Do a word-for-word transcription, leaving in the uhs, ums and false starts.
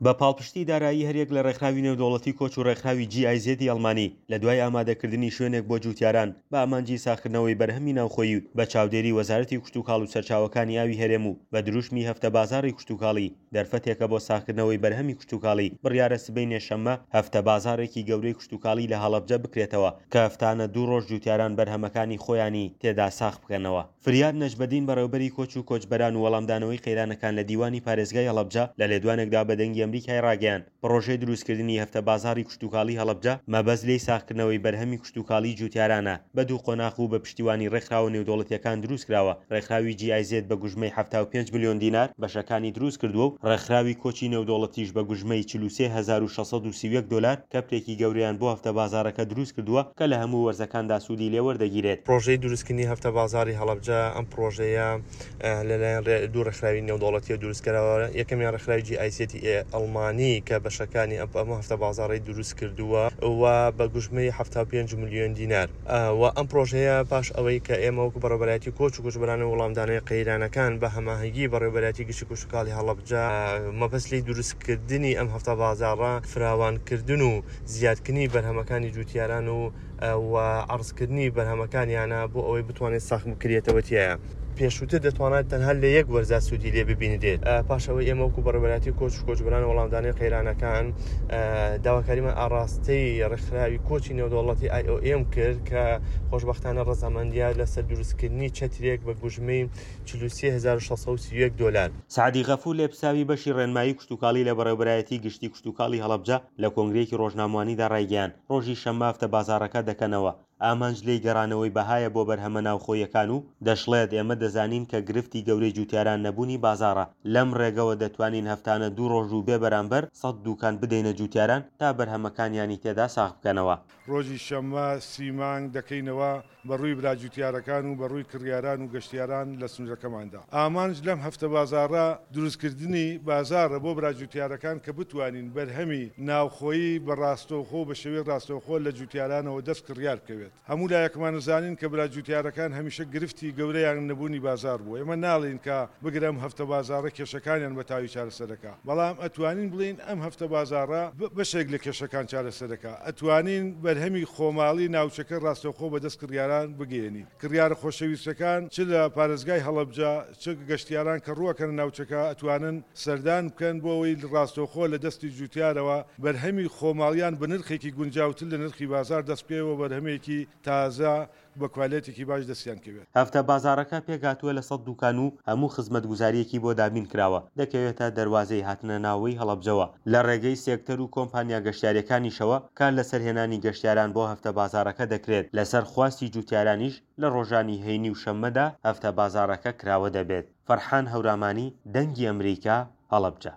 بە پاڵپشتی دارایی هەریەک لە ڕێکخراوی نێودەوڵەتی کۆچ و ڕێکخراوی جی ئای زێدی ئەڵمانی، لە دوای ئامادەکردنی شوێنێک بۆ جووتیاران بە ئامانجی ساغکردنەوەی بەرهەمی ناوخۆیی و بە چاودێری وەزارەتی کشتوکاڵ و سەرچاوەکانی ئاوی هەرێم و بە دروشمی هەفتە بازاڕی کشتوکاڵی دەرفەتێکە بۆ ساغکردنەوەی بەرهەمی کشتوکاڵی، بڕیارە سبەینێ شەممە هەفتە بازاڕێکی گەورەی کشتوکاڵی لە هەڵەبجە بکرێتەوە کە هەفتانە دوو ڕۆژ جووتیاران بەرهەمەکانی خۆیانی تێدا ساغ بکەنەوە. فریاد نەجمەدین بەڕێوبەری کۆچ و کۆچبەران و وەڵامدانەوەی قەیرانەکان لە دیوانی پارێزگای هەڵەبجە لە لێدوانێکدا بە دەنگی ئەمریکای ڕاگەیاند پڕۆژەی دروستکردنی هەفتە بازاڕی کشتوکاڵی هەڵەبجە مەبەست لێی ساغکردنەوەی بەرهەمی کشتوکاڵی جوتیارانە بە دوو قۆناغ و بە پشتیوانی ڕێکخراوە نێودەوڵەتیەکان دروستکراوە. ڕێکخراوی جی ئای زێد بە گوژمەی حەفتا و پێنج ملیۆن دینار بەشەکانی دروستکردووە و ڕێکخراوی کۆچی نێودەوڵەتیش بە گوژمەی چل و سێ هەزار و شەش سەد و سی و یەک دۆلار کەپرێکی گەورەیان بۆ هەفتە بازاڕەکە دروستکردووە کە لە هەموو وەرزەکاندا سوودی لێوەردەگیرێت. پڕۆژەی دروستکردنی هەفتە بازاڕی هەڵەبجە، ئەم پڕۆژەیە لەلایەن دوو ڕێکخراوی نێودەوڵەتیەوە دروستکراوە. یەکەمیان ڕێکخراوی جی ئای زێدی ئەڵمانی کە بەشەکانی ئەم هەفتە بازاڕەی دروست کردووە و بە گوژمەی حەفتا و پێنج ملیۆن دینار. و ئەم پڕۆژەیە پاش ئەوەی کە ئێمە وەکو بەڕێوەبەرایەتی کۆچ و کۆچبەران و وەڵامدانەوەی قەیرانەکان بە هەماهەنگی بەڕێوەبەرایەتی گشتی کشتوکاڵی هەڵەبجە مەبەست لێی دروستکردنی ئەم هەفتە بازاڕە فراوانکردن و زیادکردنی بەرهەمەکانی جوتیاران و و عەرزکردنی بەرهەمەکانیانە بۆ ئەوەی بتوانێت ساخ بکرێتەوە تیایە. پێشووتر دەتوانرێت تەنها لە یەک وەرزا سوودی لێ ببینرێت. پاش ئەوەی ئێمە وەکو بەڕێوەبەرایەتی کۆچ و کۆچبەران و وەڵامدانەوەی قەیرانەکان داواکاریمان ئاڕاستەی ڕێکخراوی کۆچی نێودەوڵەتی ئای ئۆ ئێم کرد کە خۆشبەختانە ڕەزامەندیە لەسەر دروستکردنی چەترێک بە گوژمەی چل و سێ هەزار و شەش سەد و سی و یەک دۆلار. سەعدی غەفور لێپرسراوی بەشی ڕێنمایی کشتوکاڵی لە بەڕێوەبەرایەتی گشتی کشتوکاڵی هەڵەبجە لە کۆنگرەیەکی ڕۆژنامەوانیدا ڕایگەیاند، ڕۆژی شەممە هەفتە بازاڕەکە دەکەنەوە، ئامانج لێی گەڕانەوەی بەهایە بۆ بەرهەمە ناوخۆییەکان و دەشڵێت، ئێمە دەزانین کە گرفتی گەورەی جوتیاران نەبوونی بازاڕە، لەم ڕێگەوە دەتوانین هەفتانە دوو ڕۆژ و بێ بەرامبەر سەد دوکان بدەینە جوتیاران تا بەرهەمەکانیانی تێدا ساغ بکەنەوە. ڕۆژی شەممە سی مانگ دەکەینەوە بە ڕووی برا جوتیارەکان و بە ڕووی کڕیاران و گەشتیاران لە سنوورەکەماندا. ئامانج لەم هەفتە بازاڕە دروستکردنی بازاڕە بۆ برا جوتیارەکان کە بتوانین بەرهەمی ناوخۆیی بە ڕاستەوخۆ و بە شێوەی ڕاستەوخۆ لە جوتیارانەوە دەست کڕیار بکەوێت. هەموو لایەکمان زانین کە برا جوتیارەکان هەمیشە گرفتی گەورەیان نەبوونی بازاڕ بووە. ئێمە ناڵێین کە بگرە ئەم هەفتە بازاڕە کێشەکانیان بە تەواوی چارەسەرەکە، بەڵام ئەتوانین بڵێین ئەم هەفتە بازاڕە بەشێک لە کێشەکان چارەسەرەکە. ئەتوانین بەرهەمی خۆماڵی ناوچەکە ڕاستەوخۆ بەدەست کڕیاران بگەیەنین. کڕیارە خۆشەویستەکان چ لە پارێزگای هەڵەبجە چ گەشتیاران کە ڕووەکەنە ناوچەکە ئەتوانن سەردان بکەن بۆ ئەوەی ڕاستەوخۆ لە دەستی جوتیارەوە بەرهەمی خۆماڵیان بە نرخێکی گونجاوتر لە نرخی بازار دەست بکەوێت و بەرهەمێکی تازە بە کوالێتێکی باش دەستیان کەوێت. هەفتە بازاڕەکە پێکهاتووە لە سەد دوکان و هەموو خزمەتگوزارییەکی بۆ دابین کراوە، دەکەوێتە دەروازەی هاتنە ناوەی هەڵەبجەوە، لە ڕێگەی سێکتەر و کۆمپانیا گەشتیارییەکانیشەوە کار لەسەر هێنانی گەشتیاران بۆ هەفتە بازاڕەکە دەکرێت، لەسەر خواستی جوتیارانیش لە ڕۆژانی هەینی و شەممەدا هەفتە بازاڕەکە کراوە دەبێت. فەرحان هەورامانی، دەنگی ئەمریکا، هەڵەبجە.